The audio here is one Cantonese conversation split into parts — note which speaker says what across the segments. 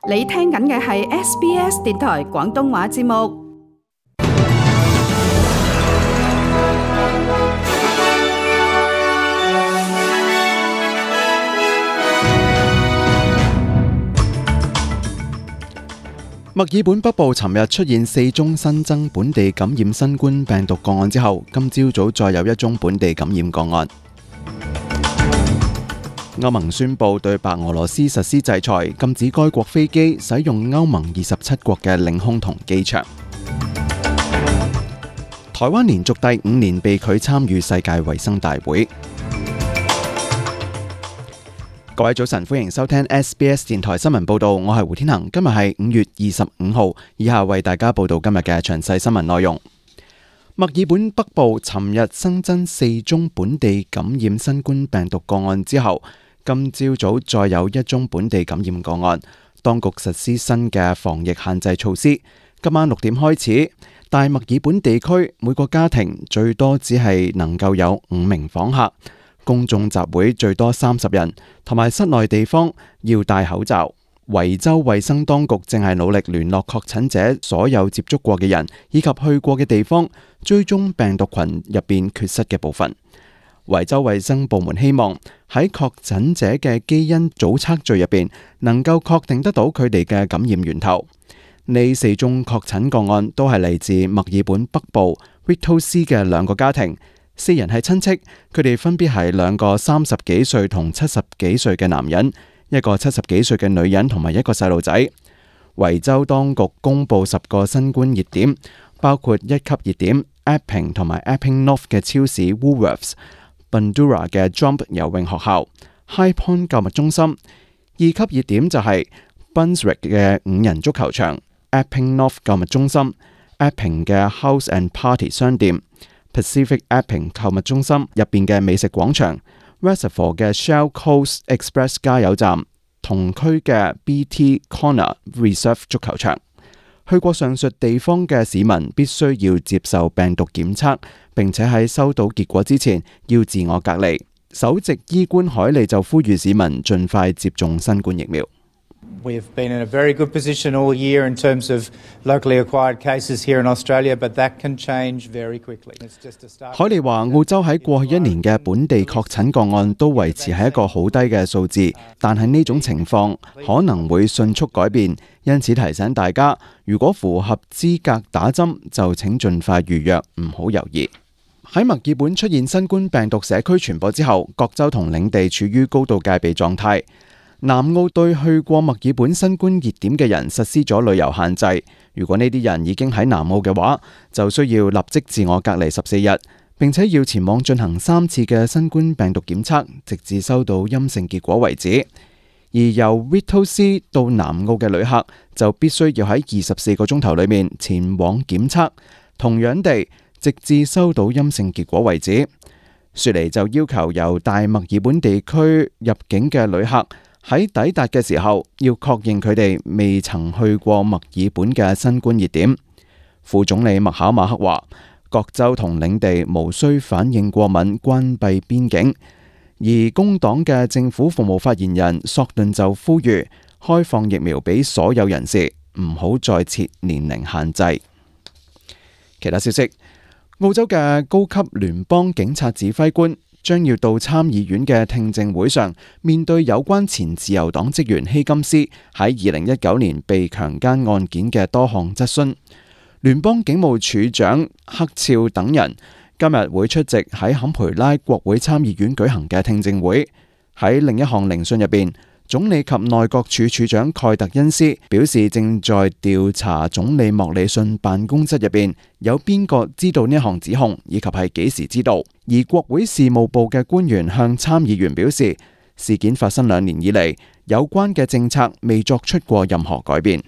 Speaker 1: 你聽緊嘅係 SBS 電台廣東話節目。
Speaker 2: 墨爾本北部尋日出現4宗新增本地感染新冠病毒個案之後，今朝早再有1宗本地感染個案。歐盟宣布對白俄羅斯實施制裁，禁止該國飛機使用歐盟27國嘅領空同機場。台灣連續第5年被拒參與世界衛生大會。各位早晨，歡迎收聽 SBS 電台新聞報道，我係胡天恒。今日係5月25號，以下為大家報道今日嘅詳細新聞內容。墨爾本北部尋日新增4宗本地感染新冠病毒個案之後，今朝早再有1宗本地感染個案，當局實施新嘅防疫限制措施。今晚6點開始，大墨爾本地區每個家庭最多只係能夠有5名訪客。公眾集會最多30人，同埋室內地方要戴口罩。維州衛生當局正係努力聯絡確診者所有接觸過嘅人，以及去過嘅地方，追蹤病毒群入邊缺失嘅部分。維州衛生部門希望喺確診者嘅基因組測序入邊，能夠確定得到佢哋嘅感染源頭。呢4宗確診個案都係嚟自墨爾本北部 Whittlesea 嘅2個家庭。4人係親戚，佢哋分別係2個30幾歲同70幾歲嘅男人，一個70幾歲嘅女人同埋一個細路仔。維州當局公布10個新冠熱點，包括1級熱點 Epping 同埋 Epping North 嘅超市 Woolworths、Bundoora 嘅 Jump 游泳學校、High Point 購物中心。2級熱點就係 Bunswick 嘅5人足球場、Epping North 購物中心、Epping 嘅 House and Party 商店、Pacific Epping 購物中心入邊嘅美食廣場、Reservoir 嘅 Shell Coast Express 加油站、同區嘅 BT Corner Reserve 足球場。去過上述地方嘅市民必須要接受病毒檢測，並且喺收到結果之前要自我隔離。首席醫官海利就呼籲市民盡快接種新冠疫苗。
Speaker 3: We've been in a very good position all year in terms of locally acquired cases here in Australia, but that can change very quickly. It's just a start.
Speaker 2: 海利話：澳洲喺過去1年嘅本地確診個案都維持喺一個好低嘅數字，但係呢種情況可能會迅速改變，因此提醒大家，如果符合資格打針，就請盡快預約，唔好猶豫。喺墨爾本出現新冠病毒社區傳播之後，各州同領地處於高度戒備狀態。南澳對去過墨爾本新冠熱點嘅人實施咗旅遊限制。如果呢啲人已經喺南澳嘅話，就需要立即自我隔離14日，並且要前往進行3次嘅新冠病毒檢測，直至收到陰性結果為止。而由 Whittlesea 到南澳嘅旅客就必須要喺24個鐘頭裏面前往檢測，同樣地，直至收到陰性結果為止。雪梨就要求由大墨爾本地區入境嘅旅客喺抵達嘅時候，要確認佢哋未曾去過墨爾本嘅新冠熱點。副總理麥考馬克話：各州同領地無需反應過敏關閉邊境。而工黨嘅政府服務發言人索頓就呼籲開放疫苗俾所有人士，唔好再設年齡限制。其他消息，澳洲嘅高級聯邦警察指揮官將要到參議院嘅聽證會上，面對有關前自由黨職員希金斯喺2019年被強姦案件嘅多項質詢。聯邦警務處長克肖等人今日會出席喺坎培拉國會參議院舉行嘅聽證會。喺另一項聆訊入邊，總理及內閣處處長蓋特恩斯表示，正在調查總理莫里遜辦公室入邊有邊個知道呢項指控，以及係幾時知道。而國會事務部嘅官員向參議員表示，事件發生2年以嚟，有關嘅政策未作出過任何改變。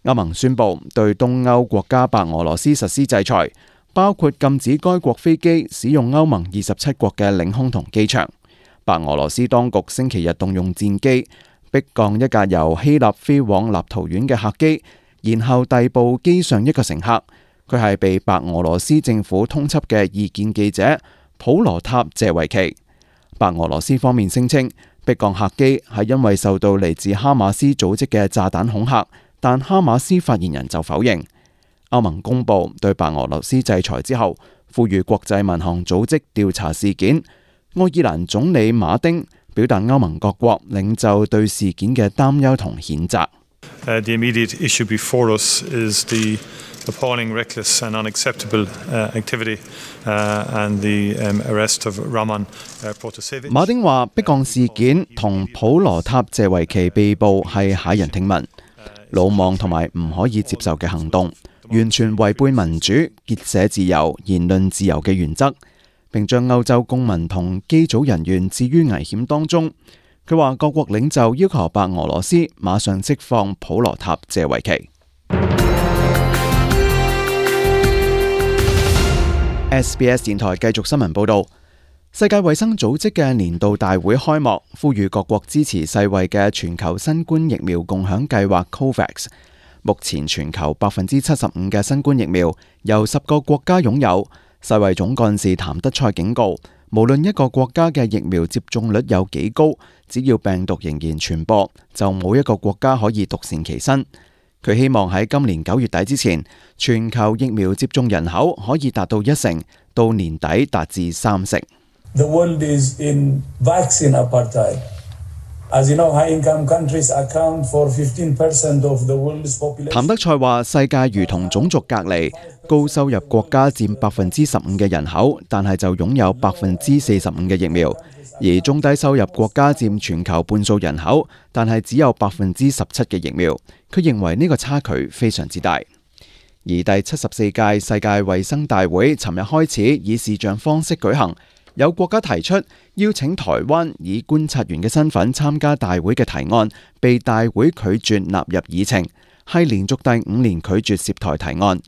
Speaker 2: 歐盟宣布對東歐國家白俄羅斯實施制裁，包括禁止該國飛機使用歐盟27國嘅領空同機場。白俄羅斯當局星期日動用戰機逼降一架由希臘飛往立陶宛嘅客機，然後逮捕機上一個乘客。佢係被白俄羅斯政府通緝嘅異見記者普羅塔謝維奇。白俄羅斯方面聲稱，迫降客機係因為受到嚟自哈馬斯組織嘅炸彈恐嚇，但哈馬斯發言人就否認。歐盟公布對白俄羅斯制裁之後，呼籲國際民航組織調查事件。愛爾蘭總理馬丁表達歐盟各國領袖對事件嘅擔憂同譴責。
Speaker 4: The immediate issue before us is the appalling, reckless and unacceptable activity and the arrest of Raman Protasevich。
Speaker 2: 馬丁話：迫降事件同普羅塔謝維奇被捕係駭人聽聞、魯莽同埋唔可以接受嘅行動，完全違背民主、結社自由、言論自由嘅原則，並將歐洲公民同機組人員置於危險當中。佢話各國領袖要求白俄羅斯馬上釋放普羅塔謝維奇。SBS 電台繼續新聞報導，世界衛生組織嘅年度大會開幕，呼籲各國支持世衛嘅全球新冠疫苗共享計劃 COVAX。目前全球75%嘅新冠疫苗由10個國家擁有。世衛總幹事譚德塞警告，無論一個國家嘅疫苗接種率有幾高，只要病毒仍然傳播，就冇一個國家可以獨善其身。佢希望喺今年9月底之前，全球疫苗接種人口可以達到1成，到年底達至3成。
Speaker 5: The world is in vaccine apartheid. As you know, high-income countries account for 15% of the world's population.
Speaker 2: 譚德塞話：世界如同種族隔離，高收入國家佔15%嘅人口，但係就擁有45%嘅疫苗；而中低收入國家佔全球半數人口，但係只有17%嘅疫苗。佢認為呢個差距非常之大。而第74屆世界衛生大會尋日開始以視像方式舉行。有國家提出邀請台灣以觀察員嘅身份參加大會嘅提案，被大會拒絕納入議程，係連續第5年拒絕涉台提案。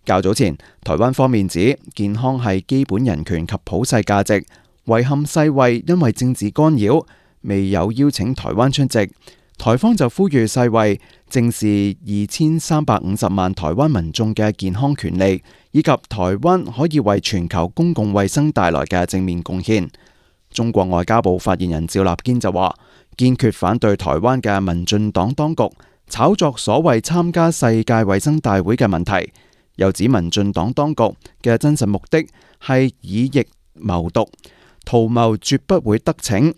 Speaker 2: 較早前，台灣方面指健康係基本人權及普世價值，遺憾世衛因為政治干擾，未有邀請台灣出席。台方就呼籲世衛正視2350萬台灣民眾嘅健康權利，以及台灣可以為全球公共衛生帶來嘅正面貢獻。中國外交部發言人趙立堅就話，堅決反對台灣嘅民進黨當局炒作所謂參加世界衛生大會嘅問題，又指民進黨當局嘅真實目的係以疫謀獨，圖謀絕不會得逞。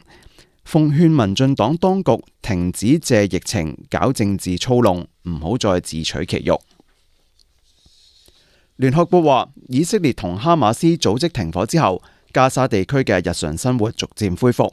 Speaker 2: 奉勸民進黨當局停止借疫情搞政治操弄，唔好再自取其辱。聯合國話，以色列同哈馬斯組織停火之後，加沙地區嘅日常生活逐漸恢復。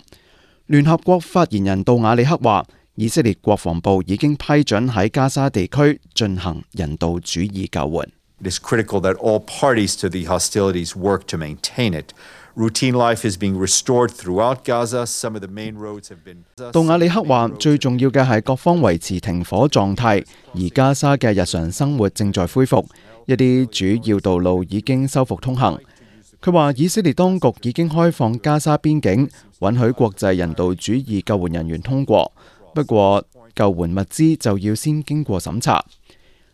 Speaker 2: 聯合國發言人杜瓦里克話，以色列國防部已經批准喺加沙地區進行人道主義救援。
Speaker 6: It is critical that all parties to the hostilities work to maintain it. Routine life is being restored throughout Gaza. Some of the main roads have been.
Speaker 2: 杜瓦里克話：最重要嘅係各方維持停火狀態，而加沙嘅日常生活正在恢復，一啲主要道路已經修復通行。佢話：以色列當局已經開放加沙邊境，允許國際人道主義救援人員通過，不過救援物資就要先經過審查。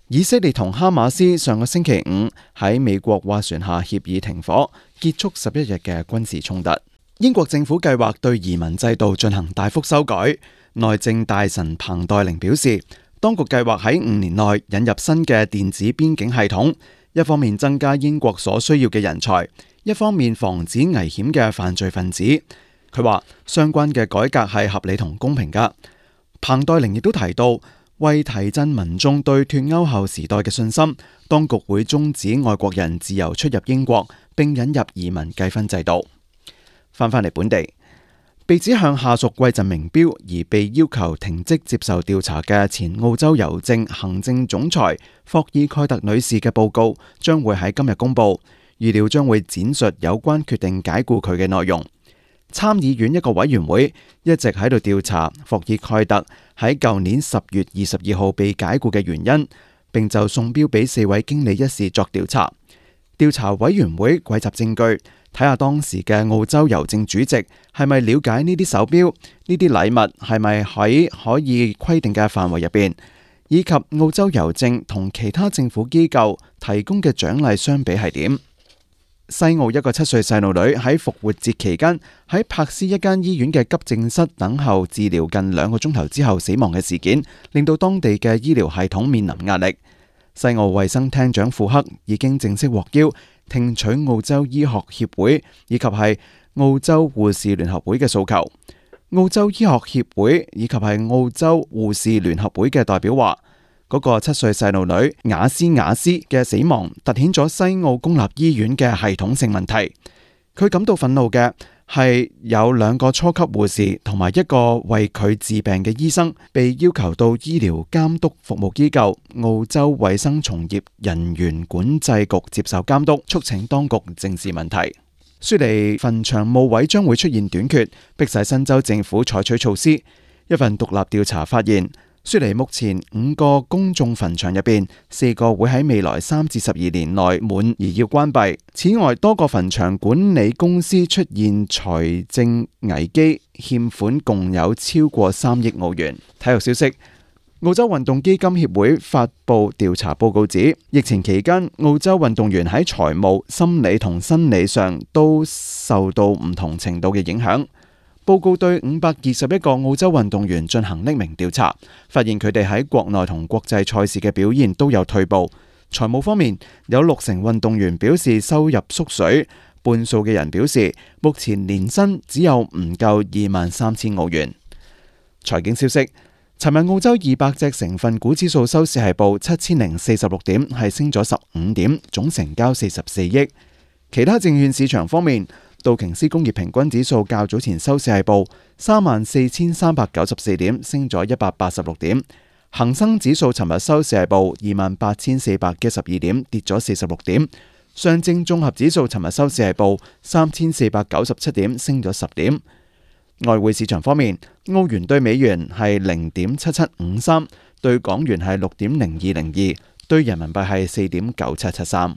Speaker 2: 以色列同哈馬斯上個星期5喺美國斡旋下協議停火，結束11日嘅軍事衝突。英國政府計劃對移民制度進行大幅修改。內政大臣彭黛玲表示，當局計劃喺5年內引入新嘅電子邊境系統，一方面增加英國所需要嘅人才，一方面防止危險嘅犯罪分子。佢話相關嘅改革係合理同公平㗎。彭黛玲亦都提到，為提振民眾對脫歐後時代嘅信心，當局會終止外國人自由出入英國，並引入移民計分制度。返嚟本地，被指向下屬貴贈名錶而被要求停職接受調查嘅前澳洲郵政行政總裁霍爾蓋特女士嘅報告將會喺今日公佈，預料將會闡述有關決定解僱佢嘅內容。參議院一個委員會一直喺度調查霍爾蓋特喺舊年10月22號被解僱嘅原因，並就送錶俾4位經理一事作調查。調查委員會匯集證據，睇下當時嘅澳洲郵政主席係咪了解呢啲手錶，呢啲禮物係咪喺可以規定嘅範圍入邊，以及澳洲郵政同其他政府機構提供嘅獎勵相比係點。西澳一個7歲細路女喺復活節期間喺柏斯一間醫院嘅急症室等候治療近2個鐘頭之後死亡嘅事件，令到當地嘅醫療系統面臨壓力。西澳衛生廳長庫克已經正式獲邀聽取澳洲醫學協會以及係澳洲護士聯合會嘅訴求。澳洲醫學協會以及係澳洲護士聯合會嘅代表話，嗰個7歲細路女雅斯嘅死亡凸顯咗西澳公立醫院嘅系統性問題。佢感到憤怒嘅係有2個初級護士同埋1個為佢治病嘅醫生被要求到醫療監督服務機構澳洲衛生從業人員管制局接受監督，促請當局正視問題。雪梨墳場墓位將會出現短缺，迫使新州政府採取措施。一份獨立調查發現，雪梨目前5個公眾墳場入邊，4個會喺未來3至12年內滿而要關閉。此外，多個墳場管理公司出現財政危機，欠款共有超過3億澳元。體育消息，澳洲運動基金協會發布調查報告指，疫情期間澳洲運動員喺財務、心理同生理上都受到唔同程度嘅影響。報告對521個澳洲運動員進行匿名調查，發現佢哋喺國內同國際賽事嘅表現都有退步。財務方面，有60%運動員表示收入縮水，半數嘅人表示目前年薪只有唔夠23,000澳元。財經消息，尋日澳洲200隻成分股指數收市係報7046點，係升咗15點，總成交44億。其他證券市場方面，道瓊斯工業平均指數較早前收市係報34,394點，升咗186點。恒生指數尋日收市係報28,412點，跌咗46點。上證綜合指數尋日收市係報3,497點，升咗10點。外匯市場方面，澳元對美元係0.7753，對港元係6.0202，對人民幣係4.9773。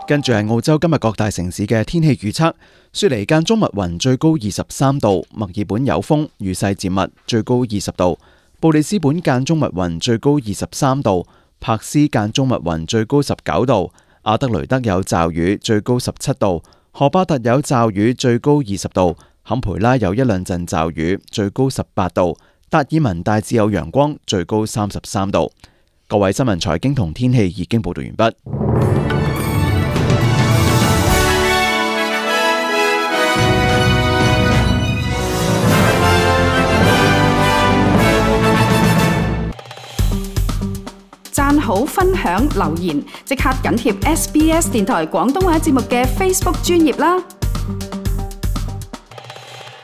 Speaker 2: 跟住係澳洲今日各大城市嘅天氣預測：雪梨間中密雲，最高23度；墨爾本有風，雨勢漸密，最高20度；布里斯本間中密雲，最高23度；柏斯間中密雲，最高19度；阿德雷德有驟雨，最高17度；荷巴特有驟雨，最高20度；坎培拉有1-2陣驟雨，最高18度；達爾文大致有陽光，最高33度。各位新聞財經同天氣已經報道完畢。
Speaker 1: 讚好、分享、留言，即刻緊貼SBS 電台廣東話節目嘅 Facebook 專頁啦！